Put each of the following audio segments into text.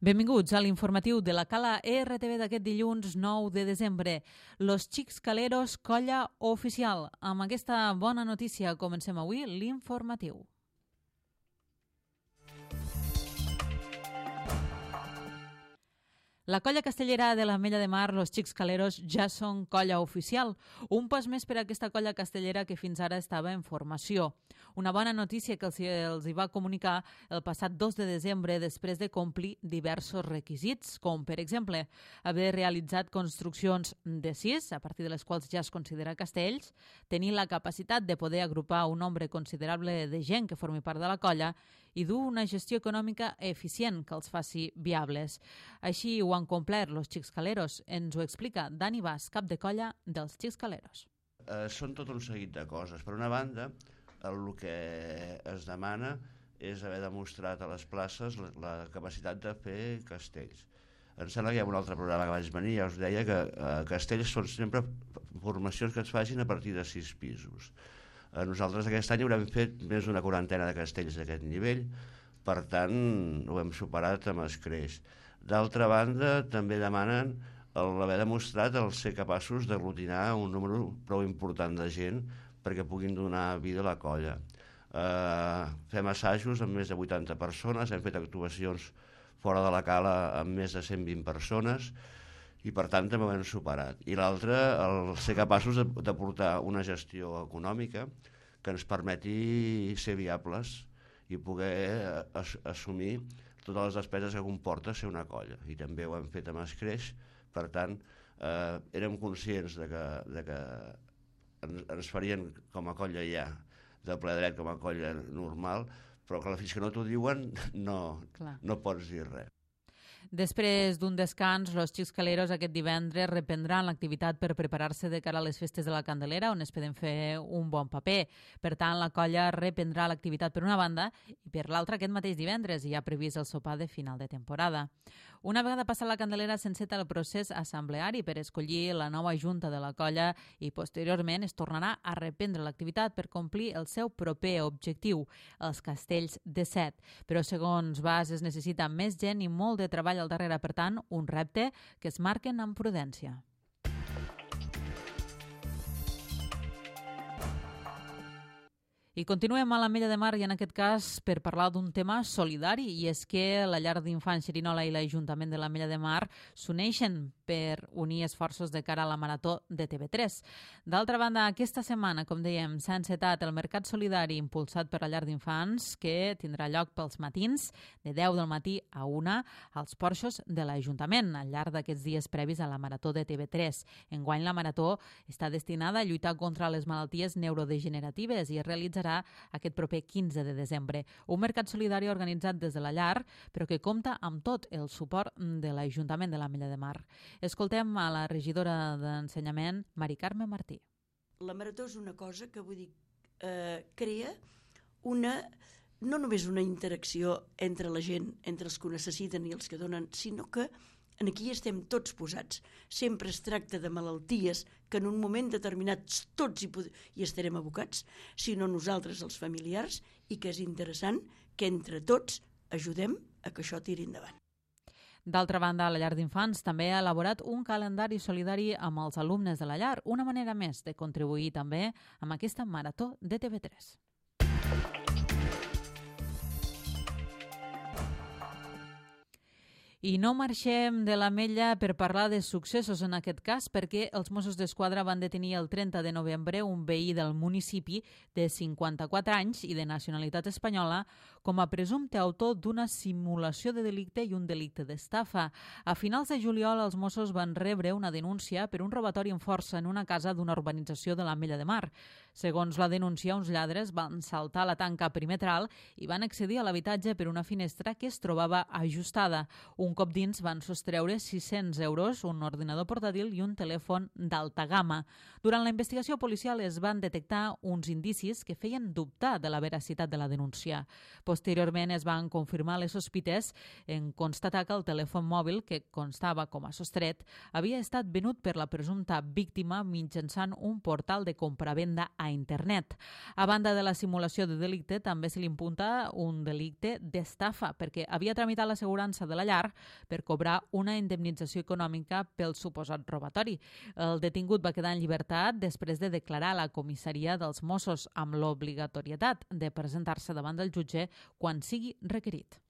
Benvinguts a l'informatiu de la Cala RTV d'aquest dilluns 9 de desembre. Los Xics Caleros, colla oficial. Amb aquesta bona notícia comencem avui l'informatiu. La colla castellera de l'Ametlla de Mar, los Xics Caleros, ja són colla oficial. Un pas més per a aquesta colla castellera que fins ara estava en formació. Una bona notícia que els hi va comunicar el passat 2 de desembre després de complir diversos requisits, com per exemple haver realitzat construccions de 6, a partir de les quals ja es considera castells, tenir la capacitat de poder agrupar un nombre considerable de gent que formi part de la colla i dur una gestió econòmica eficient que els faci viables. Així ho han complert los Xics Caleros. Ens ho explica Dani Bas, cap de colla dels Xics Caleros. Són tot un seguit de coses. Per una banda, el que es demana és haver demostrat a les places la capacitat de fer castells. Em sembla que hi ha un altre programa que vaig venir, ja us deia que castells són sempre formacions que es facin a partir de 6 pisos. Nosaltres aquest any haurem fet més d'una quarantena de castells d'aquest nivell, per tant ho hem superat amb escreix. D'altra banda, també demanen l'haver demostrat el ser capaços d'aglutinar un número prou important de gent perquè puguin donar vida a la colla. Fem assajos amb més de 80 persones, hem fet actuacions fora de la cala amb més de 120 persones i per tant també ho hem superat. I l'altre, el ser capaços de portar una gestió econòmica que ens permeti ser viables i poder assumir totes les despeses que comporta ser una colla. I també ho hem fet amb escreix, per tant, érem conscients de que ens farien com a colla ja, de ple dret com a colla normal, però que fins que no t'ho diuen no pots dir res. Després d'un descans, los Xics Caleros aquest divendres reprendran l'activitat per preparar-se de cara a les festes de la Candelera, on esperen fer un bon paper. Per tant, la colla reprendrà l'activitat per una banda i per l'altra aquest mateix divendres hi ha previst el sopar de final de temporada. Una vegada passat la Candelera s'enceta el procés assembleari per escollir la nova junta de la colla i posteriorment es tornarà a reprendre l'activitat per complir el seu proper objectiu, els castells de 7. Però segons Bas es necessita més gent i molt de treball al darrere, per tant, un repte que es marquen amb prudència. I continuem a l'Ametlla de Mar i en aquest cas per parlar d'un tema solidari i és que la llar d'infants Xerinola i l'Ajuntament de l'Ametlla de Mar s'uneixen per unir esforços de cara a la Marató de TV3. D'altra banda, aquesta setmana, com dèiem, s'ha encetat el Mercat Solidari impulsat per la llar d'infants que tindrà lloc pels matins de 10 del matí a 1 als porxos de l'Ajuntament al llarg d'aquests dies previs a la Marató de TV3. Enguany la Marató està destinada a lluitar contra les malalties neurodegeneratives i es realitzarà aquest proper 15 de desembre. Un mercat solidari organitzat des de la llar, però que compta amb tot el suport de l'Ajuntament de l'Ametlla de Mar. Escoltem a la regidora d'Ensenyament, Mari Carme Martí. La Marató és una cosa que, vull dir, crea no només una interacció entre la gent, entre els que ho necessiten i els que donen, sinó que aquí estem tots posats. Sempre es tracta de malalties que en un moment determinat tots hi estarem abocats, sinó nosaltres, els familiars, i que és interessant que entre tots ajudem a que això tiri endavant. D'altra banda, la llar d'infants també ha elaborat un calendari solidari amb els alumnes de la llar, una manera més de contribuir també amb aquesta Marató de TV3. I no marxem de l'Ametlla per parlar de successos en aquest cas perquè els Mossos d'Esquadra van detenir el 30 de novembre un veí del municipi de 54 anys i de nacionalitat espanyola com a presumpte autor d'una simulació de delicte i un delicte d'estafa. A finals de juliol els Mossos van rebre una denúncia per un robatori en força en una casa d'una urbanització de l'Ametlla de Mar. Segons la denúncia, uns lladres van saltar la tanca perimetral i van accedir a l'habitatge per una finestra que es trobava ajustada. Un cop dins van sostreure 600 euros, un ordinador portàtil i un telèfon d'alta gamma. Durant la investigació policial es van detectar uns indicis que feien dubtar de la veracitat de la denúncia. Posteriorment es van confirmar les sospites en constatar que el telèfon mòbil, que constava com a sostret, havia estat venut per la presumpta víctima mitjançant un portal de compravenda a internet. A banda de la simulació de delicte, també se li imputa un delicte d'estafa, perquè havia tramitat l'assegurança de la llar per cobrar una indemnització econòmica pel suposat robatori. El detingut va quedar en llibertat després de declarar a la comissaria dels Mossos amb l'obligatorietat de presentar-se davant del jutge quan sigui requerit.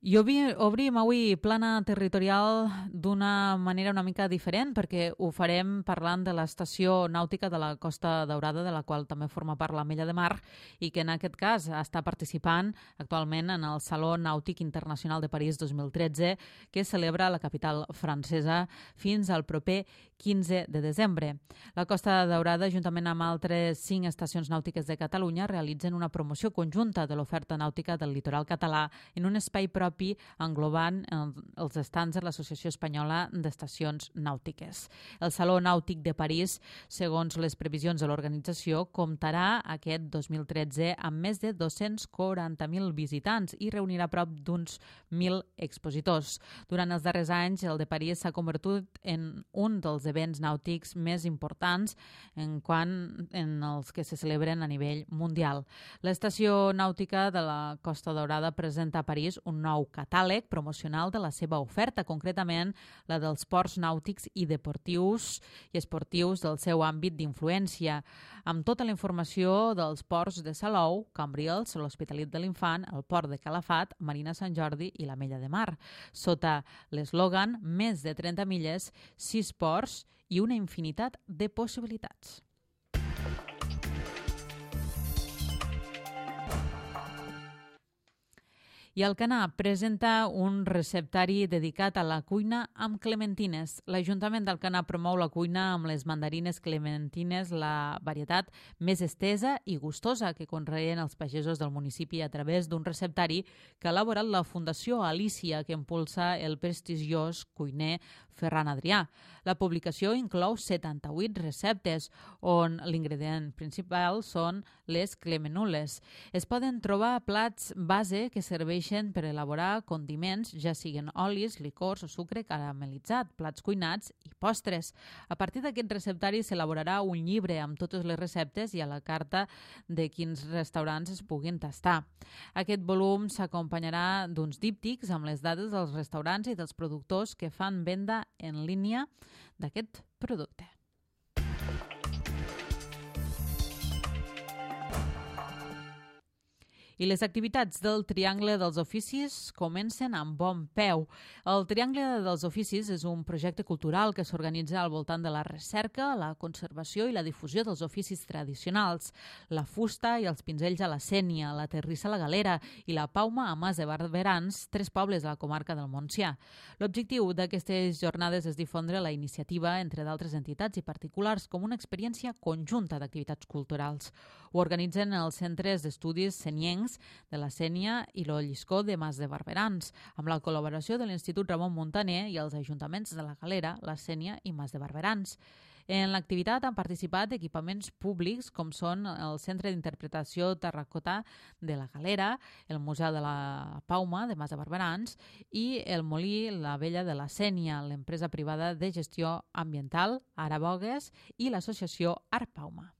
I obrim avui plana territorial d'una manera una mica diferent perquè ho farem parlant de l'estació nàutica de la Costa Daurada, de la qual també forma part l'Ametlla de Mar i que en aquest cas està participant actualment en el Saló Nàutic Internacional de París 2013 que celebra la capital francesa fins al proper 15 de desembre. La Costa Daurada, juntament amb altres 5 estacions nàutiques de Catalunya, realitzen una promoció conjunta de l'oferta nàutica del litoral català en un espai propi englobant els estands de l'Associació Espanyola d'Estacions Nàutiques. El Saló Nàutic de París, segons les previsions de l'organització, comptarà aquest 2013 amb més de 240.000 visitants i reunirà prop d'uns 1.000 expositors. Durant els darrers anys, el de París s'ha convertit en un dels esdeveniments nàutics més importants en els que se celebren a nivell mundial. L'estació nàutica de la Costa Daurada presenta a París un nou catàleg promocional de la seva oferta, concretament la dels ports nàutics i deportius i esportius del seu àmbit d'influència, amb tota la informació dels ports de Salou, Cambrils, l'Hospitalet de l'Infant, el port de Calafat, Marina Sant Jordi i l'Ametlla de Mar, sota l'eslògan Més de 30 milles, 6 ports i una infinitat de possibilitats. I Alcanar presenta un receptari dedicat a la cuina amb clementines. L'Ajuntament d'Alcanar promou la cuina amb les mandarines clementines, la varietat més estesa i gustosa que conreen els pagesos del municipi a través d'un receptari que ha elaborat la Fundació Alícia, que impulsa el prestigiós cuiner Ferran Adrià. La publicació inclou 78 receptes, on l'ingredient principal són les clemenules. Es poden trobar plats base que serveixen per elaborar condiments, ja siguin olis, licors o sucre caramelitzat, plats cuinats i postres. A partir d'aquest receptari s'elaborarà un llibre amb totes les receptes i a la carta de quins restaurants es puguin tastar. Aquest volum s'acompanyarà d'uns díptics amb les dades dels restaurants i dels productors que fan venda en línia d'aquest producte. I les activitats del Triangle dels Oficis comencen amb bon peu. El Triangle dels Oficis és un projecte cultural que s'organitza al voltant de la recerca, la conservació i la difusió dels oficis tradicionals. La fusta i els pinzells a la Sénia, la terrissa a la Galera i la pauma a Mas de Barberans, 3 pobles de la comarca del Montsià. L'objectiu d'aquestes jornades és difondre la iniciativa entre d'altres entitats i particulars com una experiència conjunta d'activitats culturals. Ho organitzen els centres d'estudis seniencs de la Sénia i l'Olliscó de Mas de Barberans, amb la col·laboració de l'Institut Ramon Muntaner i els ajuntaments de la Galera, la Sénia i Mas de Barberans. En l'activitat han participat equipaments públics com són el Centre d'Interpretació Terracota de la Galera, el Museu de la Pauma de Mas de Barberans i el Molí La Vella de la Sénia, l'empresa privada de gestió ambiental Arabogues i l'associació Art Pauma.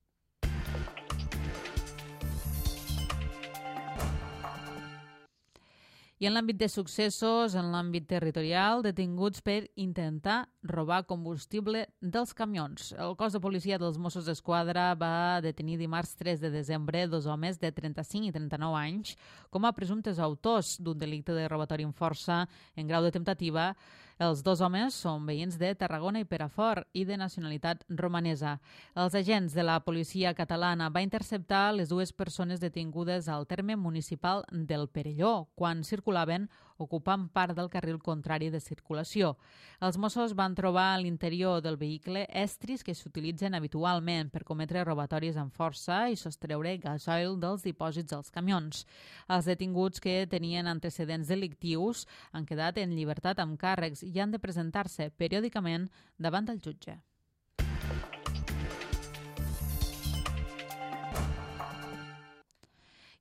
I en l'àmbit de successos, en l'àmbit territorial, detinguts per intentar robar combustible dels camions. El cos de policia dels Mossos d'Esquadra va detenir dimarts 3 de desembre 2 homes de 35 i 39 anys com a presumptes autors d'un delicte de robatori amb força en grau de temptativa. Els 2 homes són veïns de Tarragona i Perafort i de nacionalitat romanesa. Els agents de la policia catalana va interceptar les 2 persones detingudes al terme municipal del Perelló quan circulaven ocupant part del carril contrari de circulació. Els Mossos van trobar a l'interior del vehicle estris que s'utilitzen habitualment per cometre robatoris amb força i sostreure gasoil dels dipòsits dels camions. Els detinguts que tenien antecedents delictius han quedat en llibertat amb càrrecs i han de presentar-se periòdicament davant del jutge.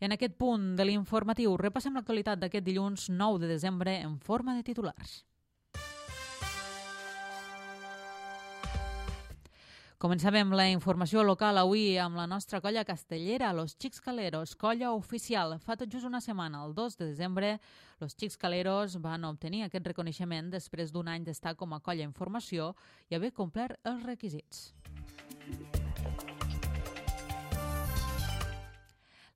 I en aquest punt de l'informatiu repassem l'actualitat d'aquest dilluns 9 de desembre en forma de titulars. Començàvem la informació local avui amb la nostra colla castellera, Los Xics Caleros, colla oficial. Fa tot just una setmana, el 2 de desembre, Los Xics Caleros van obtenir aquest reconeixement després d'un any d'estar com a colla en formació i haver complert els requisits.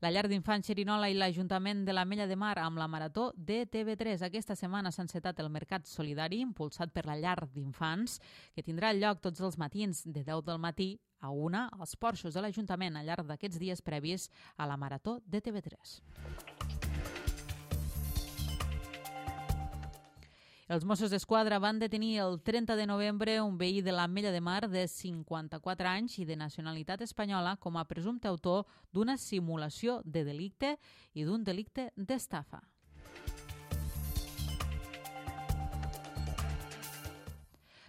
La llar d'infants Xerinola i l'Ajuntament de l'Ametlla de Mar amb la Marató de TV3. Aquesta setmana s'ha encetat el Mercat Solidari, impulsat per la llar d'infants, que tindrà lloc tots els matins de 10 del matí a 1 als porxos de l'Ajuntament al llarg d'aquests dies previs a la Marató de TV3. Els Mossos d'Esquadra van detenir el 30 de novembre un veí de l'Ametlla de Mar de 54 anys i de nacionalitat espanyola com a presumpte autor d'una simulació de delicte i d'un delicte d'estafa.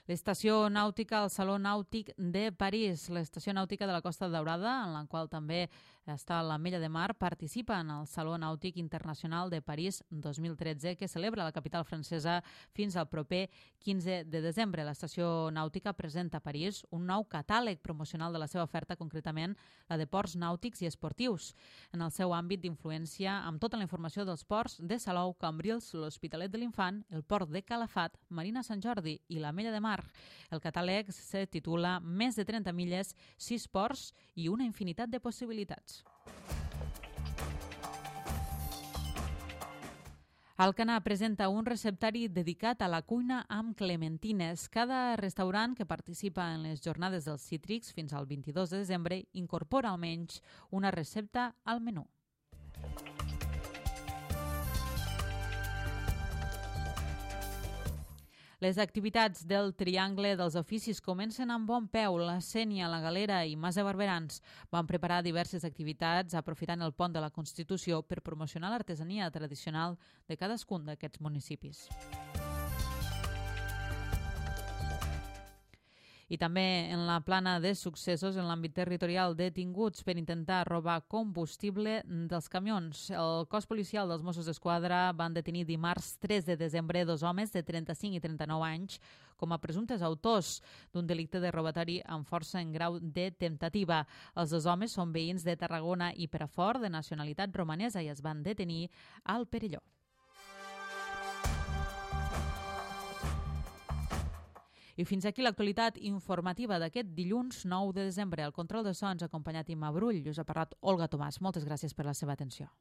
L'estació nàutica al Saló Nàutic de París, l'estació nàutica de la Costa Daurada, en la qual també està l'Ametlla de Mar, participa en el Saló Nàutic Internacional de París 2013, que celebra la capital francesa fins al proper 15 de desembre. L'estació nàutica presenta a París un nou catàleg promocional de la seva oferta, concretament la de ports nàutics i esportius, en el seu àmbit d'influència amb tota la informació dels ports de Salou, Cambrils, l'Hospitalet de l'Infant, el port de Calafat, Marina Sant Jordi i l'Ametlla de Mar. El catàleg se titula Més de 30 milles, 6 ports i una infinitat de possibilitats. Alcanar presenta un receptari dedicat a la cuina amb clementines. Cada restaurant que participa en les jornades dels cítrics fins al 22 de desembre incorpora almenys una recepta al menú. Les activitats del Triangle dels Oficis comencen amb bon peu. La Sénia, la Galera i Mas de Barberans van preparar diverses activitats aprofitant el pont de la Constitució per promocionar l'artesania tradicional de cadascun d'aquests municipis. I també en la plana de successos en l'àmbit territorial, detinguts per intentar robar combustible dels camions. El cos policial dels Mossos d'Esquadra van detenir dimarts 3 de desembre 2 homes de 35 i 39 anys com a presumptes autors d'un delicte de robatori amb força en grau de temptativa. Els 2 homes són veïns de Tarragona i Perafort, de nacionalitat romanesa, i es van detenir al Perelló. I fins aquí l'actualitat informativa d'aquest dilluns 9 de desembre. Al control de sons acompanyat Imma Brull. Us ha parlat Olga Tomàs. Moltes gràcies per la seva atenció.